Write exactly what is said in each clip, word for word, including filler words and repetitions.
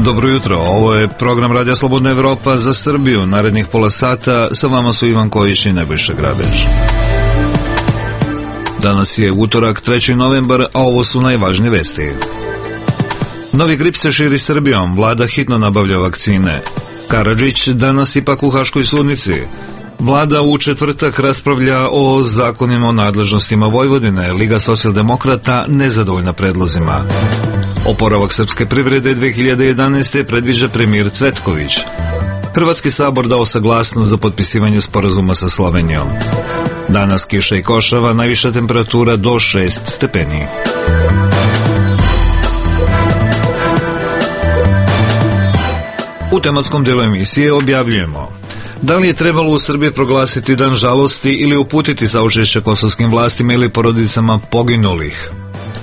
Dobro jutro, ovo je program Radija Slobodna Evropa za Srbiju. Narednih pola sata sa vama su Ivan Kojić i Nebojša Grabež. Danas je utorak, treći novembar, a ovo su najvažnije vesti. Novi grip se širi Srbijom, vlada hitno nabavlja vakcine. Karadžić danas ipak u Haškoj sudnici. Vlada u četvrtak raspravlja o zakonima o nadležnostima Vojvodine, Liga socijaldemokrata nezadovoljna predlozima. Oporavak srpske privrede dve hiljade jedanaeste. predviđa premijer Cvetković. Hrvatski sabor dao saglasnost za potpisivanje sporazuma sa Slovenijom. Danas kiša i košava, najviša temperatura do šest stepeni. U tematskom delu emisije objavljujemo: da li je trebalo u Srbiji proglasiti dan žalosti ili uputiti saučešće kosovskim vlastima ili porodicama poginulih?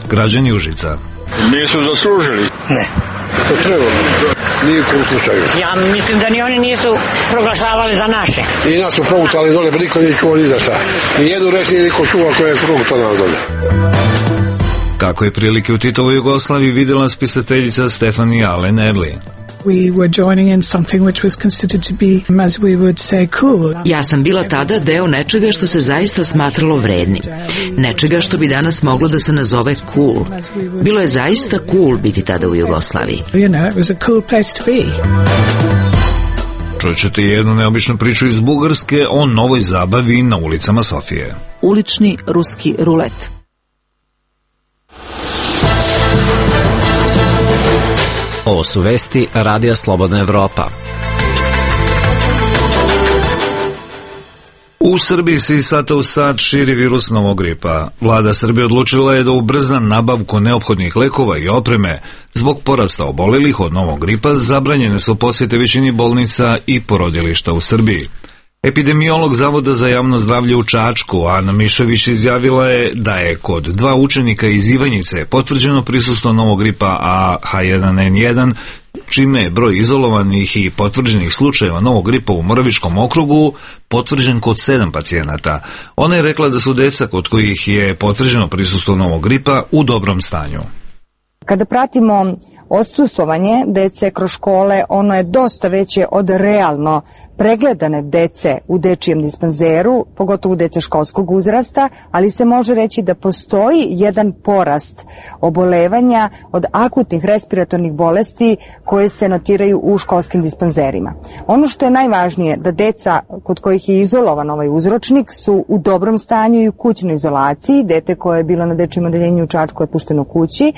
Građani Užica: nisu zaslužili. Ne, to treba. Nije u kom slučaju. Ja mislim da ni oni nisu proglašavali za naše. I nas su progutali dole, pa niko nije čuo ni za šta. Ni jednu reč nije niko čuva koja je progutao nas dole. Kako je prilike u Titovoj Jugoslaviji vidjela spisateljica Stefanija Alen Erli. We were joining in something which was considered to be, as we would say, cool. Ja sam bila tada deo nečega što se zaista smatralo vrednim. Nečega što bi danas moglo da se nazove cool. Bilo je zaista cool biti tada u Jugoslaviji. You know, it was a cool place to be. Čućete jednu neobičnu priču iz Bugarske o novoj zabavi na ulicama Sofije. Ulični ruski rulet. Ovo su vesti Radija Slobodna Evropa. U Srbiji se iz sata u sat širi virus novog gripa. Vlada Srbije odlučila je da ubrza nabavku neophodnih lekova i opreme. Zbog porasta obolelih od novog gripa zabranjene su posjete većini bolnica i porodilišta u Srbiji. Epidemiolog Zavoda za javno zdravlje u Čačku, Ana Mišović, izjavila je da je kod dva učenika iz Ivanjice potvrđeno prisustvo novog gripa A H jedan N jedan, čime je broj izolovanih i potvrđenih slučajeva novog gripa u Moravičkom okrugu potvrđen kod sedam pacijenata. Ona je rekla da su deca kod kojih je potvrđeno prisustvo novog gripa u dobrom stanju. Kada pratimo odsustvovanje dece kroz škole, ono je dosta veće od realno pregledane dece u dečijem dispanzeru, pogotovo dece školskog uzrasta, ali se može reći da postoji jedan porast obolevanja od akutnih respiratornih bolesti koje se notiraju u školskim dispanzerima. Ono što je najvažnije, da deca kod kojih je izolovan ovaj uzročnik su u dobrom stanju i u kućnoj izolaciji. Dete koje je bilo na dečijem odeljenju u Čačku je pušteno kući,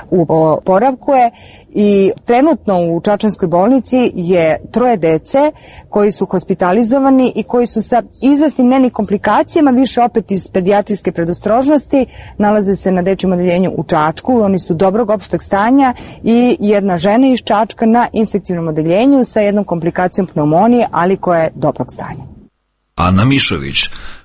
u oporavku je. I trenutno u Čačanskoj bolnici je troje dece koji su hospitalizovani i koji su sa izvesnim nenim komplikacijama, više opet iz pedijatrijske predostrožnosti, nalaze se na dečijem odeljenju u Čačku. Oni su dobrog opšteg stanja i jedna žena iz Čačka na infektivnom odeljenju sa jednom komplikacijom pneumonije, ali koja je dobrog stanja. Ana Mišović: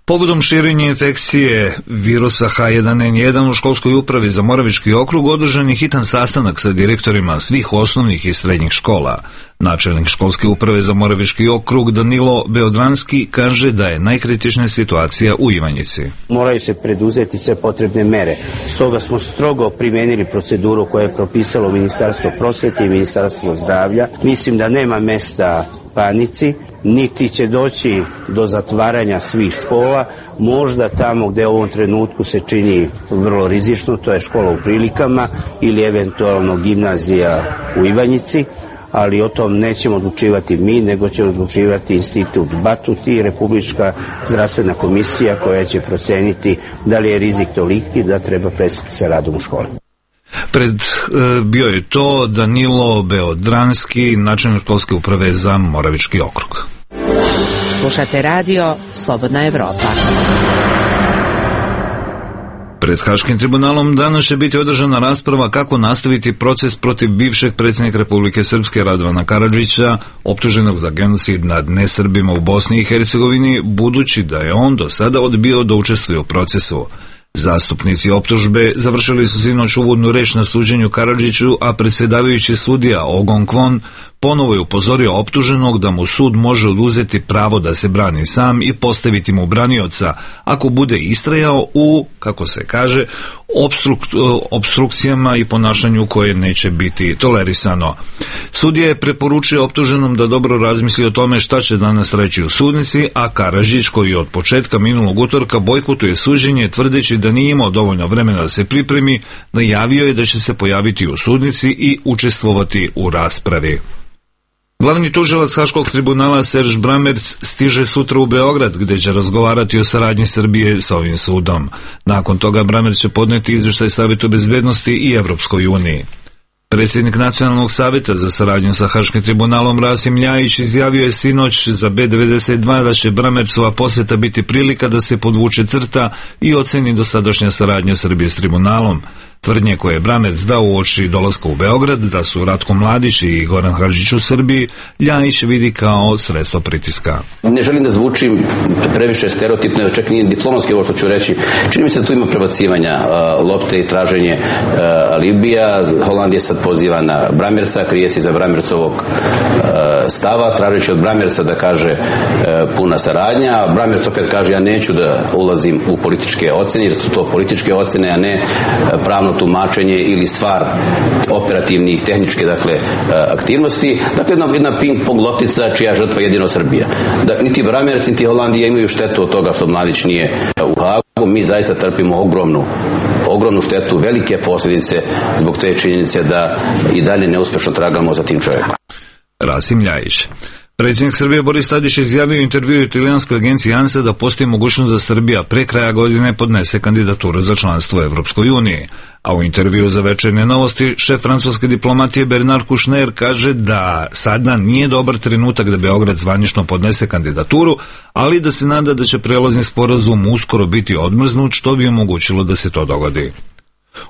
povodom širenja infekcije virusa H jedan N jedan u školskoj upravi za Moravički okrug održan je hitan sastanak sa direktorima svih osnovnih i srednjih škola. Načelnik školske uprave za Moravički okrug Danilo Beodranski kaže da je najkritičnija situacija u Ivanjici. Moraju se preduzeti sve potrebne mere. Stoga smo strogo primenili proceduru koju je propisalo Ministarstvo prosvete i Ministarstvo zdravlja. Mislim da nema mesta panici, niti će doći do zatvaranja svih škola. Možda tamo gde u ovom trenutku se čini vrlo rizično, to je škola u Prilikama ili eventualno gimnazija u Ivanjici, ali o tom nećemo odlučivati mi, nego će odlučivati Institut Batut i Republička zdravstvena komisija koja će proceniti da li je rizik toliki da treba prestati sa radom u školi. Pred e, bio je to Danilo Beodranski, načelnik školske uprave za Moravički okrug. Slušate radio Slobodna Evropa. Pred Haškim tribunalom danas će biti održana rasprava kako nastaviti proces protiv bivšeg predsjednika Republike Srpske Radovana Karadžića, optuženog za genocid nad nesrbima u Bosni i Hercegovini, budući da je on do sada odbio da učestvuje u procesu. Zastupnici optužbe završili su sinoć uvodnu reč na suđenju Karadžiću, a predsjedavajući sudija Ogon Kvon ponovo je upozorio optuženog da mu sud može oduzeti pravo da se brani sam i postaviti mu branioca ako bude istrajao u, kako se kaže, obstruk, obstrukcijama i ponašanju koje neće biti tolerisano. Sudija je preporučio optuženom da dobro razmisli o tome šta će danas reći u sudnici, a Karadžić, koji od početka minulog utorka bojkotuje suđenje tvrdeći da nije imao dovoljno vremena da se pripremi, najavio je da će se pojaviti u sudnici i učestvovati u raspravi. Glavni tužilac Haškog tribunala Serž Bramerc stiže sutra u Beograd, gde će razgovarati o saradnji Srbije sa ovim sudom. Nakon toga Bramerc će podneti izveštaj Savetu bezbednosti i Evropskoj uniji. Predsjednik Nacionalnog savjeta za saradnju sa Haškim tribunalom Rasim Ljajić izjavio je sinoć za B devedeset dva da će Bramercova posjeta biti prilika da se podvuče crta i oceni dosadašnja saradnja Srbije s tribunalom. Tvrdnje koje je Bramerc dao uoči dolaska u Beograd da su Ratko Mladić i Goran Hadžić u Srbiji, Ljajić vidi kao sredstvo pritiska. Ne želim da zvučim previše stereotipno, čak nije diplomatski ovo što ću reći. Čini mi se da tu ima prebacivanja uh, lopte i traženje uh, alibija. Holandija sad poziva na Bramerca, krije se za Bramercovog uh, stava, tražeći od Bramerca da kaže uh, puna saradnja. Bramerc opet kaže ja neću da ulazim u političke ocene, jer su to političke ocene, a ne uh, pravno tumačenje ili stvar operativnih, tehničke, dakle, aktivnosti. Dakle, jedna, jedna ping-pong loptica čija žrtva jedino Srbija. Da, niti Bramerc, niti Holandija imaju štetu od toga što Mladić nije u Hagu. Mi zaista trpimo ogromnu, ogromnu štetu, velike posljedice zbog te činjenice da i dalje neuspešno tragamo za tim čovjekom. Rasim Ljajić. Predsjednik Srbije Boris Tadić izjavio u intervjuu italijanskoj agenciji ANSA da postoji mogućnost da Srbija pre kraja godine podnese kandidaturu za članstvo u Evropskoj uniji. A u intervjuu za Večernje novosti šef francuske diplomatije Bernard Kouchner kaže da sada nije dobar trenutak da Beograd zvanično podnese kandidaturu, ali da se nada da će prelazni sporazum uskoro biti odmrznut, što bi omogućilo da se to dogodi.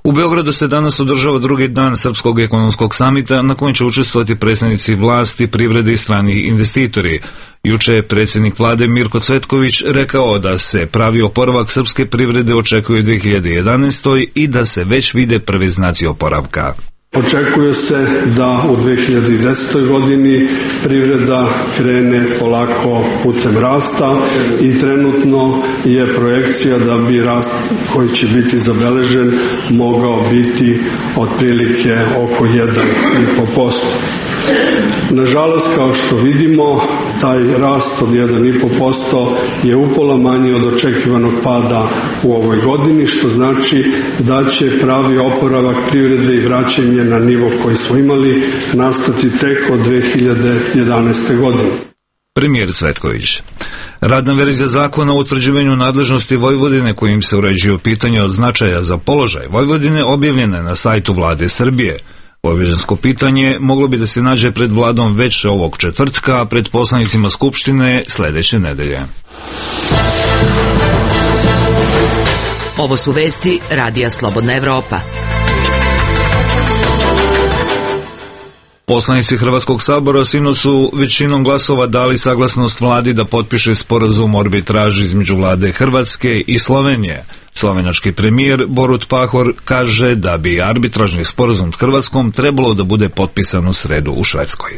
U Beogradu se danas održava drugi dan Srpskog ekonomskog samita na kojem će učestvovati predstavnici vlasti, privrede i strani investitori. Juče je predsjednik vlade Mirko Cvetković rekao da se pravi oporavak srpske privrede očekuje u dve hiljade jedanaestoj. i da se već vide prvi znaci oporavka. Očekuje se da u dve hiljade desetoj. godini privreda krene polako putem rasta i trenutno je projekcija da bi rast koji će biti zabeležen mogao biti otprilike oko jedan i po posto. Nažalost, kao što vidimo, taj rast od jedan i po posto je upola manji od očekivanog pada u ovoj godini, što znači da će pravi oporavak privrede i vraćanje na nivo koji smo imali nastati tek od dve hiljade jedanaeste. godine. Premijer Cvetković. Radna verzija zakona o utvrđivanju nadležnosti Vojvodine kojim se uređuju pitanja od značaja za položaj Vojvodine objavljena je na sajtu Vlade Srbije. Vojvođansko pitanje moglo bi da se nađe pred vladom već ovog četvrtka, a pred poslanicima Skupštine sledeće nedelje. Ovo su vesti Radija Slobodna Evropa. Poslanici Hrvatskog sabora sinoć su većinom glasova dali saglasnost vladi da potpiše sporazum o arbitraži između vlade Hrvatske i Slovenije. Slovenački premijer Borut Pahor kaže da bi arbitražni sporazum s Hrvatskom trebalo da bude potpisan u sredu u Švedskoj.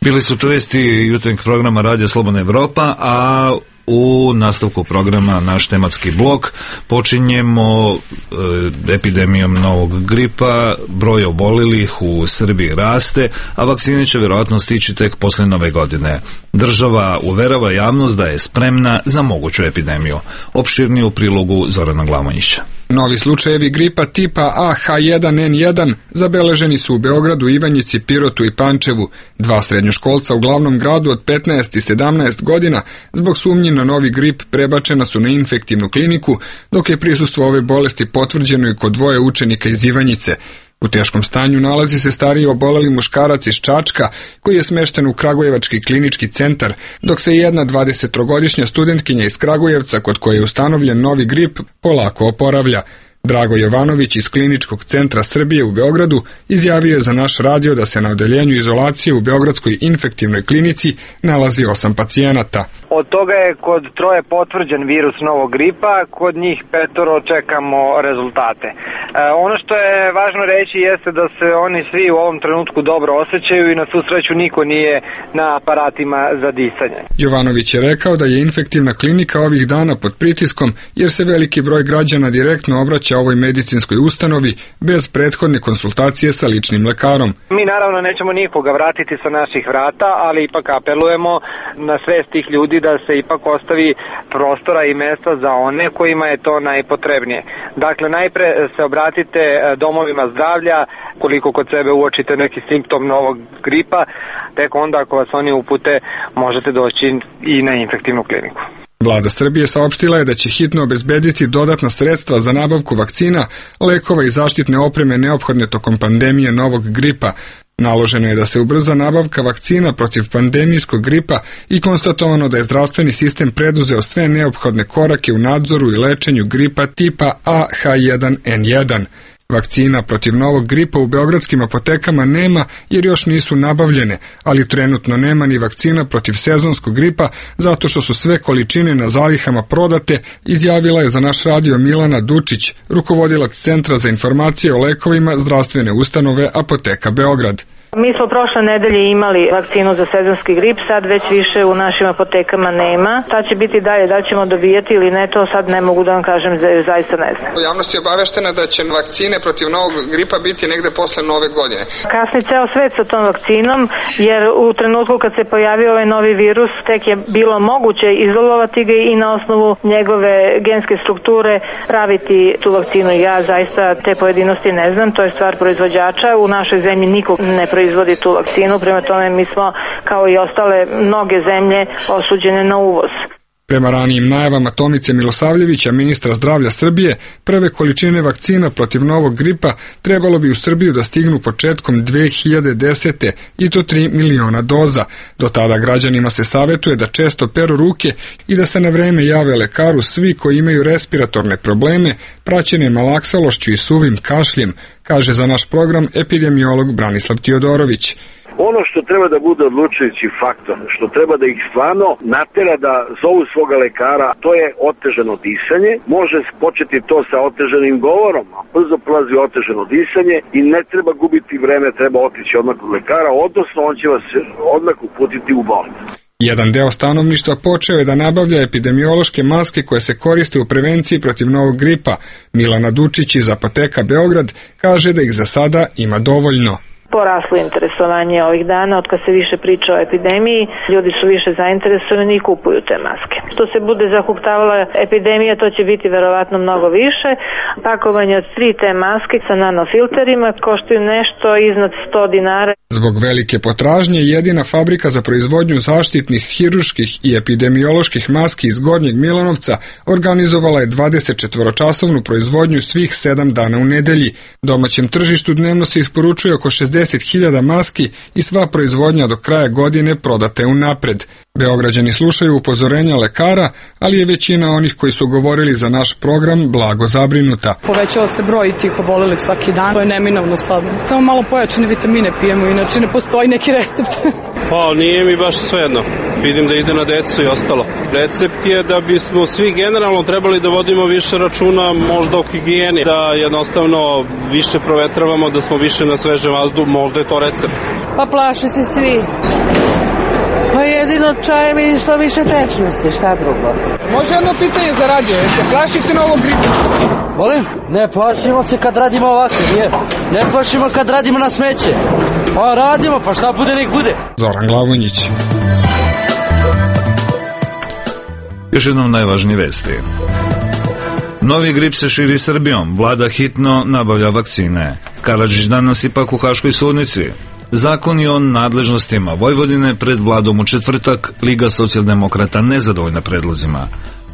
Bili su to vesti jutarnjeg programa Radija Slobodna Evropa, a u nastavku programa naš tematski blok počinjemo e, epidemijom novog gripa. Broj obolelih u Srbiji raste, a vakcine će vjerojatno stići tek posle nove godine. Država uverava javnost da je spremna za moguću epidemiju. Opširnije u prilogu Zorana Glamonjića. Novi slučajevi gripa tipa A H jedan N jedan zabeleženi su u Beogradu, Ivanjici, Pirotu i Pančevu. Dva srednjoškolca u glavnom gradu od petnaest i sedamnaest godina zbog sumnji na novi grip prebačena su na infektivnu kliniku, dok je prisustvo ove bolesti potvrđeno i kod dvoje učenika iz Ivanjice. U teškom stanju nalazi se stariji oboleli muškarac iz Čačka, koji je smešten u Kragujevački klinički centar, dok se jedna dvadesettrogodišnja studentkinja iz Kragujevca, kod koje je ustanovljen novi grip, polako oporavlja. Drago Jovanović iz Kliničkog centra Srbije u Beogradu izjavio je za naš radio da se na odeljenju izolacije u Beogradskoj infektivnoj klinici nalazi osam pacijenata. Od toga je kod troje potvrđen virus novog gripa, kod njih petoro čekamo rezultate. Ono što je važno reći jeste da se oni svi u ovom trenutku dobro osjećaju i na svu sreću niko nije na aparatima za disanje. Jovanović je rekao da je infektivna klinika ovih dana pod pritiskom jer se veliki broj građana direktno obraća ovoj medicinskoj ustanovi bez prethodne konsultacije sa ličnim lekarom. Mi naravno nećemo nikoga vratiti sa naših vrata, ali ipak apelujemo na svest tih ljudi da se ipak ostavi prostora i mesta za one kojima je to najpotrebnije. Dakle, najpre se obratite domovima zdravlja, koliko kod sebe uočite neki simptom novog gripa, tek onda ako vas oni upute možete doći i na infektivnu kliniku. Vlada Srbije saopštila je da će hitno obezbediti dodatna sredstva za nabavku vakcina, lekova i zaštitne opreme neophodne tokom pandemije novog gripa. Naloženo je da se ubrza nabavka vakcina protiv pandemijskog gripa i konstatovano da je zdravstveni sistem preduzeo sve neophodne korake u nadzoru i lečenju gripa tipa A H jedan N jedan. Vakcina protiv novog gripa u beogradskim apotekama nema jer još nisu nabavljene, ali trenutno nema ni vakcina protiv sezonskog gripa zato što su sve količine na zalihama prodate, izjavila je za naš radio Milana Dučić, rukovodilac Centra za informacije o lekovima zdravstvene ustanove Apoteka Beograd. Mi smo prošle nedelje imali vakcinu za sezonski grip, sad već više u našim apotekama nema. Šta će biti dalje, da li ćemo dobijati ili ne, to sad ne mogu da vam kažem, zaista ne znam. Javnost je obaveštena da će vakcine protiv novog gripa biti negde posle nove godine. Kasni ceo svet sa tom vakcinom, jer u trenutku kad se pojavio ovaj novi virus, tek je bilo moguće izolovati ga i na osnovu njegove genske strukture praviti tu vakcinu. Ja zaista te pojedinosti ne znam, to je stvar proizvođača. U našoj zemlji niko ne proizvodi tu vakcinu, prema tome mi smo, kao i ostale mnoge zemlje, osuđene na uvoz. Prema ranijim najavama Tomice Milosavljevića, ministra zdravlja Srbije, prve količine vakcina protiv novog gripa trebalo bi u Srbiju da stignu početkom dve hiljade desete i to tri miliona doza. Do tada građanima se savetuje da često peru ruke i da se na vreme jave lekaru svi koji imaju respiratorne probleme, praćene malaksalošću i suvim kašljem, kaže za naš program epidemiolog Branislav Tiodorović. Ono što treba da bude odlučujući faktor, što treba da ih stvarno natera da zovu svoga lekara, to je otežano disanje. Može početi to sa otežanim govorom, a brzo prolazi otežano disanje i ne treba gubiti vreme, treba otići odmah kod lekara, odnosno on će vas odmah uputiti u bolnicu. Jedan deo stanovništva počeo je da nabavlja epidemiološke maske koje se koriste u prevenciji protiv novog gripa. Milana Dučić iz Apoteka Beograd kaže da ih za sada ima dovoljno. Poraslo interesovanje ovih dana, od kad se više priča o epidemiji, ljudi su više zainteresovani i kupuju te maske. Što se bude zahuktavala epidemija, to će biti verovatno mnogo više. Pakovanje od tri te maske sa nanofilterima koštaju nešto iznad sto dinara. Zbog velike potražnje, jedina fabrika za proizvodnju zaštitnih, hirurških i epidemioloških maski iz Gornjeg Milanovca organizovala je dvadesetčetvoročasovnu proizvodnju svih sedam dana u nedelji. Domaćem tržištu dnevno se isporučuje oko šezdeset hiljada maski i sva proizvodnja do kraja godine prodate unapred. Beograđani slušaju upozorenja lekara, ali je većina onih koji su govorili za naš program blago zabrinuta. Povećava se broj tih obolelih svaki dan, to je neminovno sad. Samo malo pojačane vitamine pijemo, inače ne postoji neki recept. Pa nije mi baš svejedno. Vidim da ide na decu i ostalo. Recept je da bismo svi generalno trebali da vodimo više računa možda o higijeni, da jednostavno više provetravamo, da smo više na svežem vazduhu, možda je to recept. Pa plaše se svi. Pa jedino čajem i što više tečnosti, šta drugo. Može jedno pitanje za radio, jer se plašite na ovom gripu? Molim? Ne plašimo se kad radimo ovako, nije. Ne plašimo kad radimo na smeće. Pa radimo, pa šta bude nek bude. Zoran Glavonjić. Još jednom najvažnije vesti. Novi grip se širi Srbijom, vlada hitno nabavlja vakcine. Karadžić danas ipak u Haškoj sudnici. Zakoni o nadležnostima Vojvodine pred vladom u četvrtak, Liga socijaldemokrata nezadovoljna predlozima.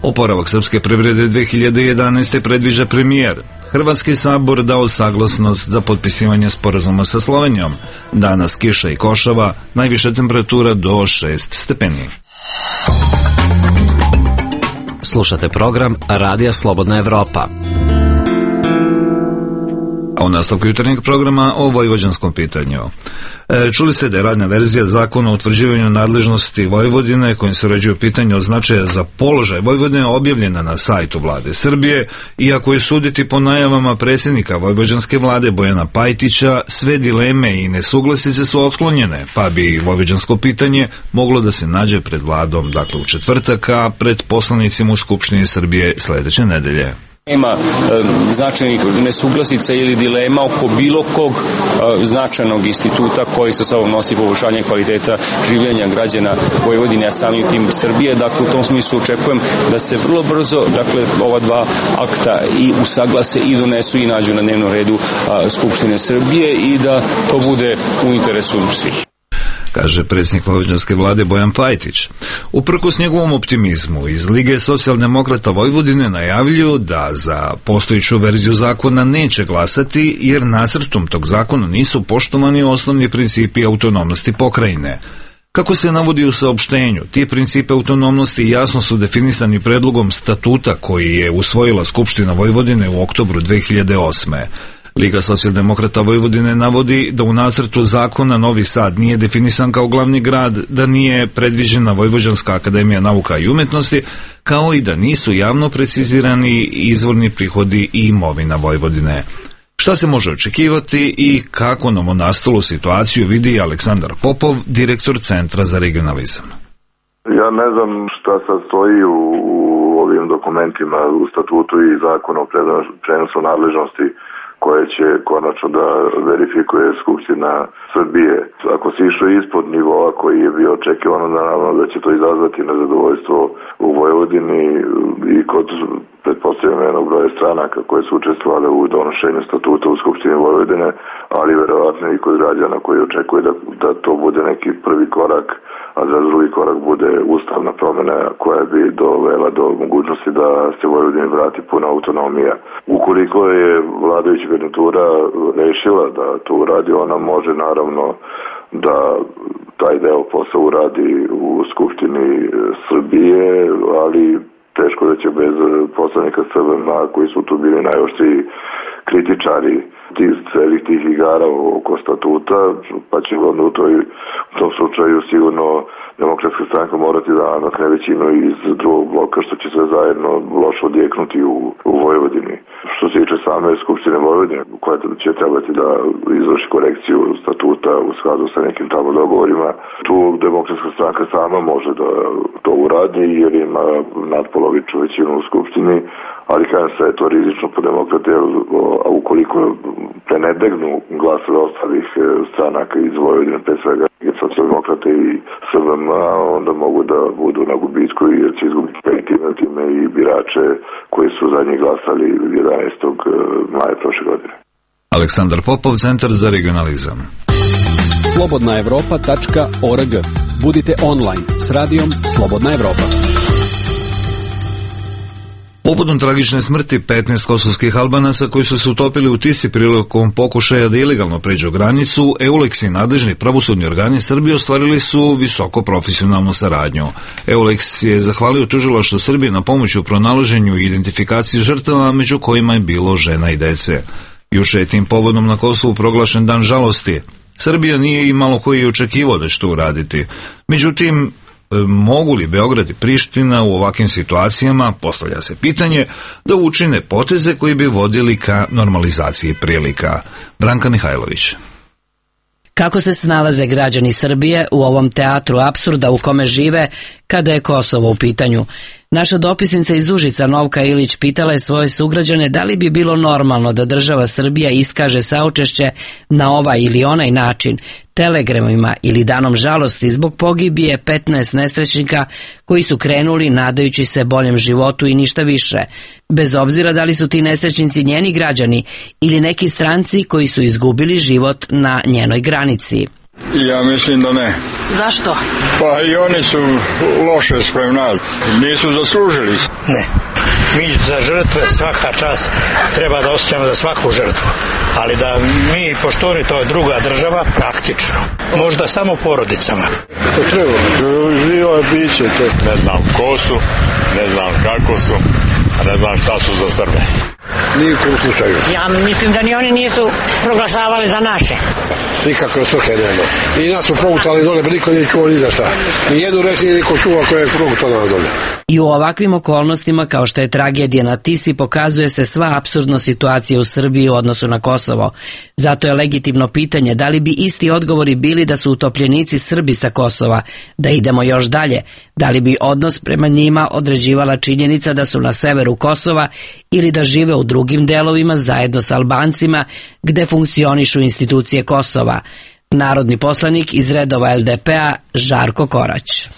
Oporavak srpske privrede dve hiljade jedanaeste. predviđa premijer. Hrvatski sabor dao saglasnost za potpisivanje sporazuma sa Slovenijom. Danas kiša i košava, najviša temperatura do šest stepeni. Slušate program Radija Slobodna Evropa. A U nastavku jutarnjeg programa o vojvođanskom pitanju. E, čuli ste da je radna verzija zakona o utvrđivanju nadležnosti Vojvodine kojim se uređuju pitanje od značaja za položaj Vojvodine objavljena na sajtu vlade Srbije, iako je suditi po najavama predsjednika vojvođanske vlade Bojana Pajtića, sve dileme i nesuglasice su otklonjene, pa bi vojvođansko pitanje moglo da se nađe pred vladom, dakle u četvrtak, a pred poslanicima u Skupštini Srbije sledeće nedelje. Ima e, značajnih nesuglasica ili dilema oko bilo kog e, značajnog instituta koji sa sobom nosi poboljšanje kvaliteta življenja građana Vojvodine, a samim tim Srbije. Dakle, u tom smislu očekujem da se vrlo brzo, dakle, ova dva akta i usaglase i donesu i nađu na dnevnom redu a, Skupštine Srbije i da to bude u interesu svih, kaže predsjednik vojvođanske vlade Bojan Pajtić. Uprkos njegovom optimizmu, iz Lige socijaldemokrata Vojvodine najavljuju da za postojiću verziju zakona neće glasati, jer nacrtom tog zakona nisu poštovani osnovni principi autonomnosti pokrajine. Kako se navodi u saopštenju, ti principi autonomnosti jasno su definisani predlogom statuta koji je usvojila Skupština Vojvodine u oktobru dve hiljade osme. Liga socijaldemokrata Vojvodine navodi da u nacrtu zakona Novi Sad nije definisan kao glavni grad, da nije predviđena Vojvođanska akademija nauka i umetnosti, kao i da nisu javno precizirani izvorni prihodi i imovina Vojvodine. Šta se može očekivati i kako novonastalu situaciju vidi Aleksandar Popov, direktor Centra za regionalizam? Ja ne znam šta sad stoji u, u ovim dokumentima, u statutu i zakonu o prenosu nadležnosti koje će konačno da verifikuje Skupština Srbije. Ako se išlo ispod nivoa koji je bio očekivano, naravno da će to izazvati nezadovoljstvo u Vojvodini i kod, pretpostavljam, jednog broja stranaka koje su učestvovale u donošenju statuta u Skupštini Vojvodine, ali verovatno i kod građana koji očekuje da, da to bude neki prvi korak, a za drugi korak bude ustavna promjena koja bi dovela do mogućnosti da se Vojvodini vrati puna autonomija. Ukoliko je vladajuća garnitura rešila da to uradi, ona može naravno da taj deo posla uradi u Skupštini Srbije, ali teško da će bez poslanika S V M koji su tu bili najoštriji kritičari tih celih tih igara oko statuta, pa će onda u, toj, u tom slučaju sigurno Demokratska stranka morati da namakne većinu iz drugog bloka, što će sve zajedno loše odjeknuti u, u Vojvodini. Što se tiče same Skupštine Vojvodine, koja će trebati da izvrši korekciju statuta u skladu sa nekim tamo dogovorima, tu Demokratska stranka sama može da to uradi jer ima nadpolovičnu većinu u Skupštini, ali kada se je to rizično po demokrate, a ukoliko prenebegnu glasove ostalih stranaka iz Vojvodine, pre svega socijaldemokrate i S V M, onda mogu da budu na gubitku jer će izgubiti time i birače koji su za njih glasali jedanaestog maja prošle godine. Aleksandar Popov, Centar za regionalizam. slobodna evropa tačka org. Budite online s radijom Slobodna Evropa. Povodom tragične smrti petnaest kosovskih Albanaca koji su se utopili u Tisi prilikom pokušaja da ilegalno pređu granicu, EULEX i nadležni pravosudni organi Srbije ostvarili su visoko profesionalnu saradnju. EULEX je zahvalio tužilaštvu Srbije na pomoći u pronalaženju i identifikaciji žrtava, među kojima je bilo žena i dece. Juče je tim povodom na Kosovu proglašen dan žalosti. Srbija nije imalo koji je očekivao da će to uraditi. Međutim, mogu li Beograd i Priština u ovakvim situacijama, postavlja se pitanje, da učine poteze koji bi vodili ka normalizaciji prilika? Branka Mihajlović. Kako se snalaze građani Srbije u ovom teatru apsurda u kome žive kada je Kosovo u pitanju? Naša dopisnica iz Užica, Novka Ilić, pitala je svoje sugrađane da li bi bilo normalno da država Srbija iskaže saučešće na ovaj ili onaj način, telegramima ili danom žalosti zbog pogibije petnaest nesrećnika koji su krenuli nadajući se boljem životu i ništa više, bez obzira da li su ti nesrećnici njeni građani ili neki stranci koji su izgubili život na njenoj granici. Ja mislim da ne. Zašto? Pa i oni su loše sprem nas. Nisu zaslužili. Ne. Mi za žrtve svaka čast treba da osjećamo za svaku žrtvu. Ali da mi, pošto oni to je druga država, praktično. Možda samo porodicama. To treba. Živa biće to. Ne znam ko su, ne znam kako su, a ne znam šta su za Srbe. Ni u kom slučaju. Ja mislim da ni oni nisu proglašavali za naše. Nikakve svrhe nema. I nas su progutali dole, pa niko nije čuo ni za šta. Ni jednu reč nije niko čuo koje je progutao nas dole. I u ovakvim okolnostima, kao što je tragedija na Tisi, pokazuje se sva apsurdna situacija u Srbiji u odnosu na Kosovo. Zato je legitimno pitanje da li bi isti odgovori bili da su utopljenici Srbi sa Kosova, da idemo još dalje, da li bi odnos prema njima određivala činjenica da su na severu Kosova ili da žive u drugim delovima zajedno s Albancima gde funkcionišu institucije Kosova. Narodni poslanik iz redova el de pe a Žarko Korać.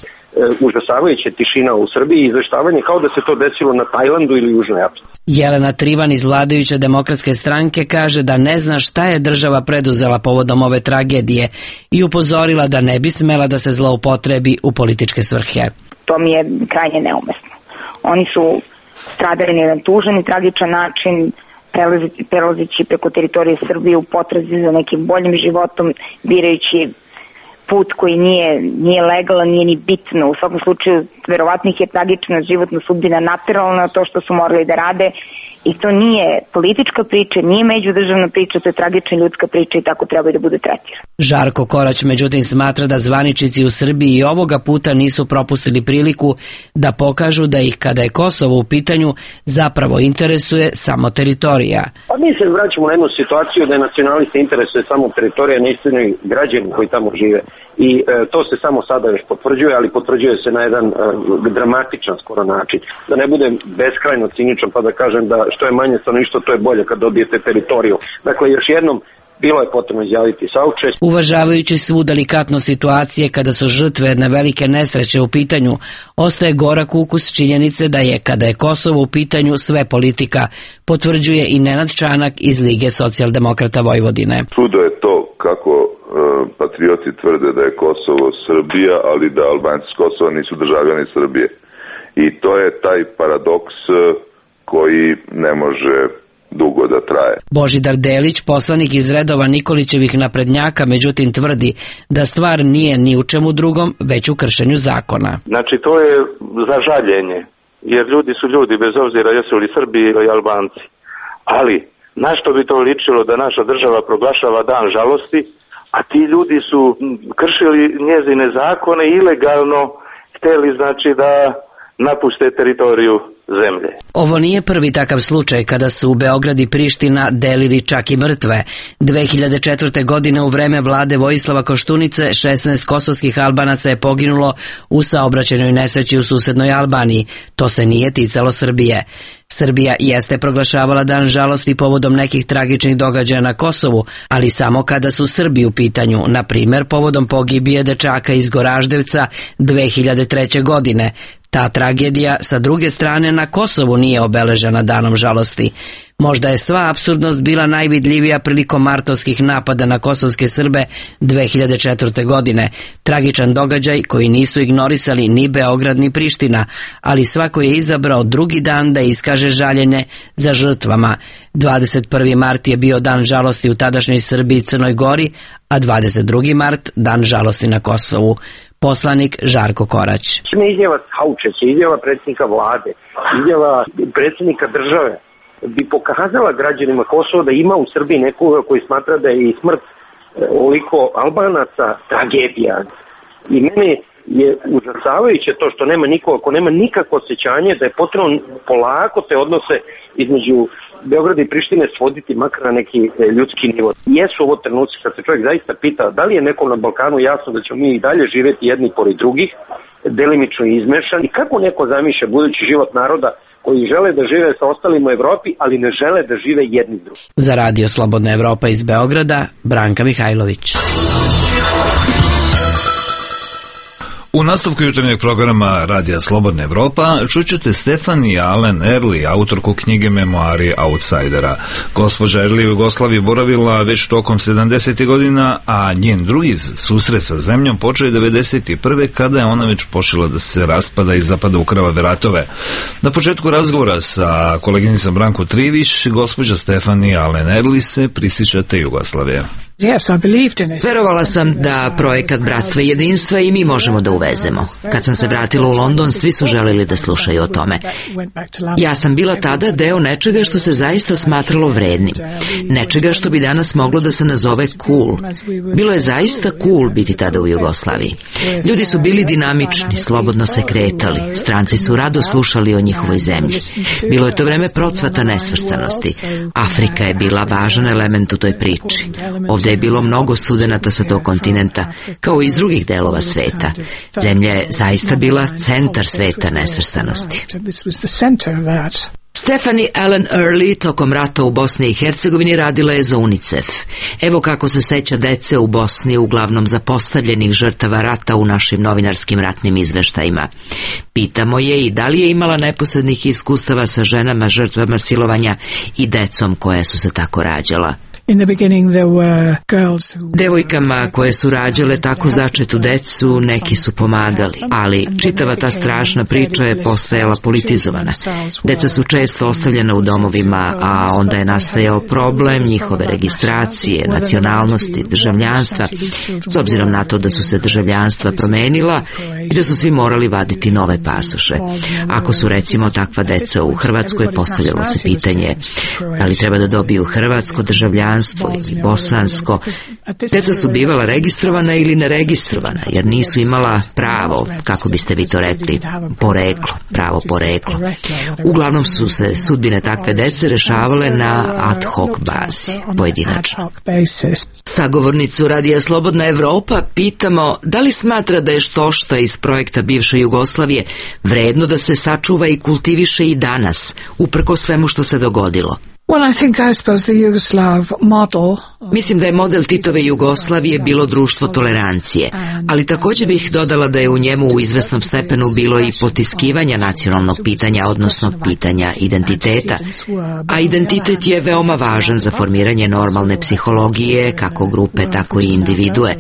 Užasavajuća tišina u Srbiji i izveštavanje kao da se to desilo na Tajlandu ili Južnoj Africi. Jelena Trivan iz vladajuće demokratske stranke kaže da ne zna šta je država preduzela povodom ove tragedije i upozorila da ne bi smela da se zloupotrebi u političke svrhe. To mi je krajnje neumesno. Oni su stradali na jedan tužan i tragičan način, prelazeći preko teritorije Srbije u potrazi za nekim boljim životom, birajući put koji nije, nije legalan, nije ni bitno. U svakom slučaju, verovatno ih je tragična životna sudbina naterala na to što su morali da rade i to nije politička priča, nije međudržavna priča, to je tragična ljudska priča i tako treba i da bude tretirana. Žarko Korać međutim smatra da zvaničnici u Srbiji i ovoga puta nisu propustili priliku da pokažu da ih, kada je Kosovo u pitanju, zapravo interesuje samo teritorija. Pa mi se vraćamo na jednu situaciju da je nacionalista interesuje samo teritorija, ne istinu građani koji tamo žive. I e, to se samo sada još potvrđuje, ali potvrđuje se na jedan e, dramatičan skoro način. Da ne budem beskrajno ciničan pa da kažem da što je manje stanovništvo, to je bolje kad dobijete teritoriju. Dakle, još jednom, bilo je potrebno izjaviti saučešće. Uvažavajući svu delikatnu situacije kada su žrtve jedne velike nesreće u pitanju, ostaje gorak ukus činjenice da je, kada je Kosovo u pitanju, sve politika, potvrđuje i Nenad Čanak iz Lige socijaldemokrata Vojvodine. Čudo je to kako e, patrioti tvrde da je Kosovo Srbija, ali da Albanci s Kosova nisu državljani Srbije. I to je taj paradoks koji ne može dugo da traje. Božidar Delić, poslanik iz redova Nikolićevih naprednjaka, međutim tvrdi da stvar nije ni u čemu drugom, već u kršenju zakona. Znači to je za žaljenje, jer ljudi su ljudi bez obzira jesu li Srbi ili Albanci. Ali na što bi to ličilo da naša država proglašava dan žalosti, a ti ljudi su kršili njezine zakone ilegalno, hteli znači da napuste teritoriju zemlje. Ovo nije prvi takav slučaj kada su u Beograd i Priština delili čak i mrtve. dve hiljade četvrte. godine u vreme vlade Vojislava Koštunice šesnaest kosovskih Albanaca je poginulo u saobraćajnoj nesreći u susednoj Albaniji. To se nije ticalo Srbije. Srbija jeste proglašavala dan žalosti povodom nekih tragičnih događaja na Kosovu, ali samo kada su Srbi u pitanju, na primer povodom pogibije dečaka iz Goraždevca dve hiljade treće. godine. Ta tragedija sa druge strane na Kosovu nije obeležena danom žalosti. Možda je sva apsurdnost bila najvidljivija prilikom martovskih napada na kosovske Srbe dve hiljade četvrte. godine. Tragičan događaj koji nisu ignorisali ni Beograd ni Priština, ali svako je izabrao drugi dan da iskaže žaljenje za žrtvama. dvadeset prvi mart je bio dan žalosti u tadašnjoj Srbiji i Crnoj Gori, a dvadeset drugi mart dan žalosti na Kosovu. Poslanik Žarko Korać. Izjava saučešća, izjava predsjednika vlade, izjava predsjednika države bi pokazala građanima Kosova da ima u Srbiji nekoga koji smatra da je i smrt ovoliko Albanaca tragedija. I meni je užasavajuće to što nema nikoga, ako nema nikakvo osjećanje da je potrebno polako te odnose između Beograda i Prištine svoditi makar na neki ljudski nivo. Jesu ovo trenuci kad se čovjek zaista pita da li je nekom na Balkanu jasno da ćemo mi i dalje živjeti jedni pored drugih, delimično izmešan, i kako neko zamišlja budući život naroda koji žele da žive sa ostalima u Evropi, ali ne žele da žive jedni s drugim. Za Radio Slobodna Evropa iz Beograda, Branka Mihajlović. U nastavku jutarnjeg programa Radija Slobodna Evropa čućete Stephanie Allen Early, autorku knjige Memoari outsidera. Gospođa Early u Jugoslaviji boravila već tokom sedamdesetih godina, a njen drugi susret sa zemljom počeo je devedeset prve. kada je ona već počela da se raspada i zapada u krvave ratove. Na početku razgovora sa koleginicom Branko Trivić, gospođa Stephanie Allen Early se prisjeća te Jugoslavije. Verovala sam da projekat Bratstva i jedinstva i mi možemo da uvezemo. Kad sam se vratila u London, svi su želeli da slušaju o tome. Ja sam bila tada deo nečega što se zaista smatralo vrednim. Nečega što bi danas moglo da se nazove cool. Bilo je zaista cool biti tada u Jugoslaviji. Ljudi su bili dinamični, slobodno se kretali. Stranci su rado slušali o njihovoj zemlji. Bilo je to vreme procvata nesvrstanosti. Afrika je bila važan element u toj priči. Ovdje je bilo mnogo studenata sa tog kontinenta, kao i iz drugih delova sveta. Zemlja je zaista bila centar sveta nesvrstanosti. Stephanie Allen Early tokom rata u Bosni i Hercegovini radila je za UNICEF. Evo kako se seća dece u Bosni, uglavnom zapostavljenih žrtava rata u našim novinarskim ratnim izveštajima. Pitamo je i da li je imala neposrednih iskustava sa ženama žrtvama silovanja i decom koje su se tako rađala. Devojkama koje su rađale tako začetu decu neki su pomagali, ali čitava ta strašna priča je postajala politizovana. Deca su često ostavljena u domovima, a onda je nastajao problem njihove registracije, nacionalnosti, državljanstva, s obzirom na to da su se državljanstva promenila i da su svi morali vaditi nove pasoše. Ako su recimo takva deca u Hrvatskoj, postavljalo se pitanje da li treba da dobiju hrvatsko državljanstvo ili bosansko. Deca su bivala registrovana ili neregistrovana, jer nisu imala pravo, kako biste vi to rekli, poreklo, pravo poreklo. Uglavnom su se sudbine takve dece rešavale na ad hoc bazi, pojedinačno. Sagovornicu Radija Slobodna Evropa pitamo da li smatra da je štošta iz projekta bivše Jugoslavije vredno da se sačuva i kultiviše i danas, uprko svemu što se dogodilo. Well, I think, I suppose, the Yugoslav model. Mislim da je model Titove Jugoslavije bilo društvo tolerancije, ali također bih dodala da je u njemu u izvesnom stepenu bilo i potiskivanja nacionalnog pitanja, odnosno pitanja identiteta, a identitet je veoma važan za formiranje normalne psihologije, kako grupe, tako i individue.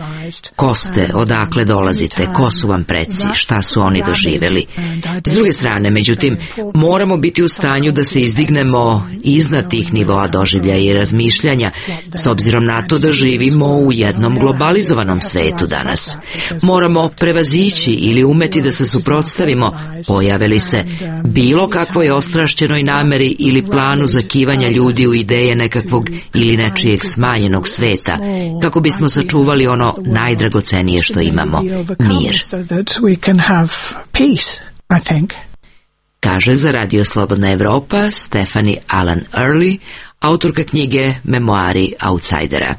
Ko ste, odakle dolazite, ko su vam preci, šta su oni doživjeli. S druge strane, međutim, moramo biti u stanju da se izdignemo iznad tih nivoa doživljaja i razmišljanja, s obzirom na to da živimo u jednom globalizovanom svetu danas. Moramo prevazići ili umeti da se suprotstavimo, pojave li se bilo kakvoj ostrašćenoj nameri ili planu zakivanja ljudi u ideje nekakvog ili nečijeg smanjenog sveta, kako bismo sačuvali ono najdragocenije što imamo, mir. Kaže za Radio Slobodna Evropa Stephanie Allen Early, autorka knjige Memoari outsidera.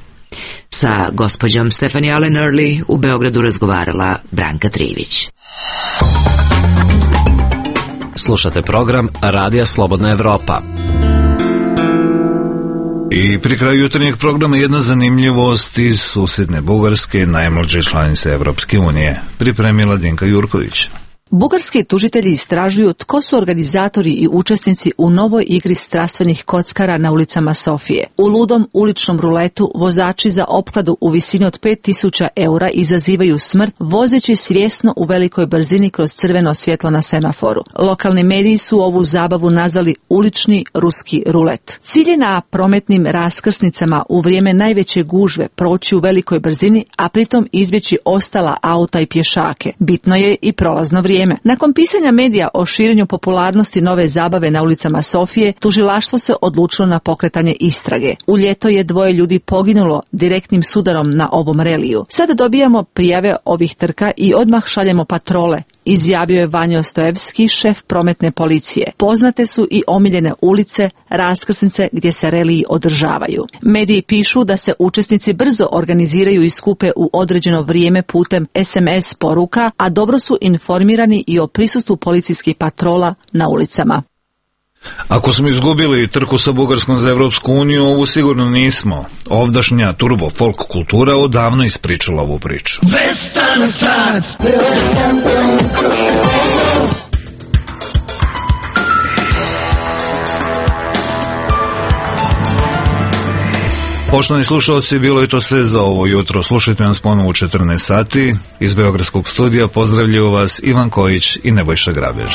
Sa gospođom Stephanie Allen Early u Beogradu razgovarala Branka Trivić. Slušate program Radija Slobodna Evropa. I pri kraju jutarnjeg programa jedna zanimljivost iz susjedne Bugarske, najmlađe članice Evropske unije. Pripremila Dinka Jurković. Bugarski tužitelji istražuju tko su organizatori i učesnici u novoj igri strastvenih kockara na ulicama Sofije. U ludom uličnom ruletu vozači za opkladu u visini od pet tisuća eura izazivaju smrt vozeći svjesno u velikoj brzini kroz crveno svjetlo na semaforu. Lokalni mediji su ovu zabavu nazvali ulični ruski rulet. Cilj je na prometnim raskrsnicama u vrijeme najveće gužve proći u velikoj brzini, a pritom izbjeći ostala auta i pješake. Bitno je i prolazno vrijeme. Nakon pisanja medija o širenju popularnosti nove zabave na ulicama Sofije, tužilaštvo se odlučilo na pokretanje istrage. U ljeto je dvoje ljudi poginulo direktnim sudarom na ovom reliju. Sada dobijamo prijave ovih trka i odmah šaljemo patrole, izjavio je Vanjo Stojevski, šef prometne policije. Poznate su i omiljene ulice, raskrsnice gdje se reliji održavaju. Mediji pišu da se učesnici brzo organiziraju i skupe u određeno vrijeme putem es em es poruka, a dobro su informirani i o prisustvu policijskih patrola na ulicama. Ako smo izgubili trku sa Bugarskom za Evropsku uniju, ovu sigurno nismo. Ovdašnja turbo folk kultura odavno ispričala ovu priču. Poštovani slušalci, bilo je to sve za ovo jutro. Slušajte nas ponovo u četrnaest sati. Iz Beogradskog studija pozdravljaju vas Ivan Kojić i Nebojša Grabež.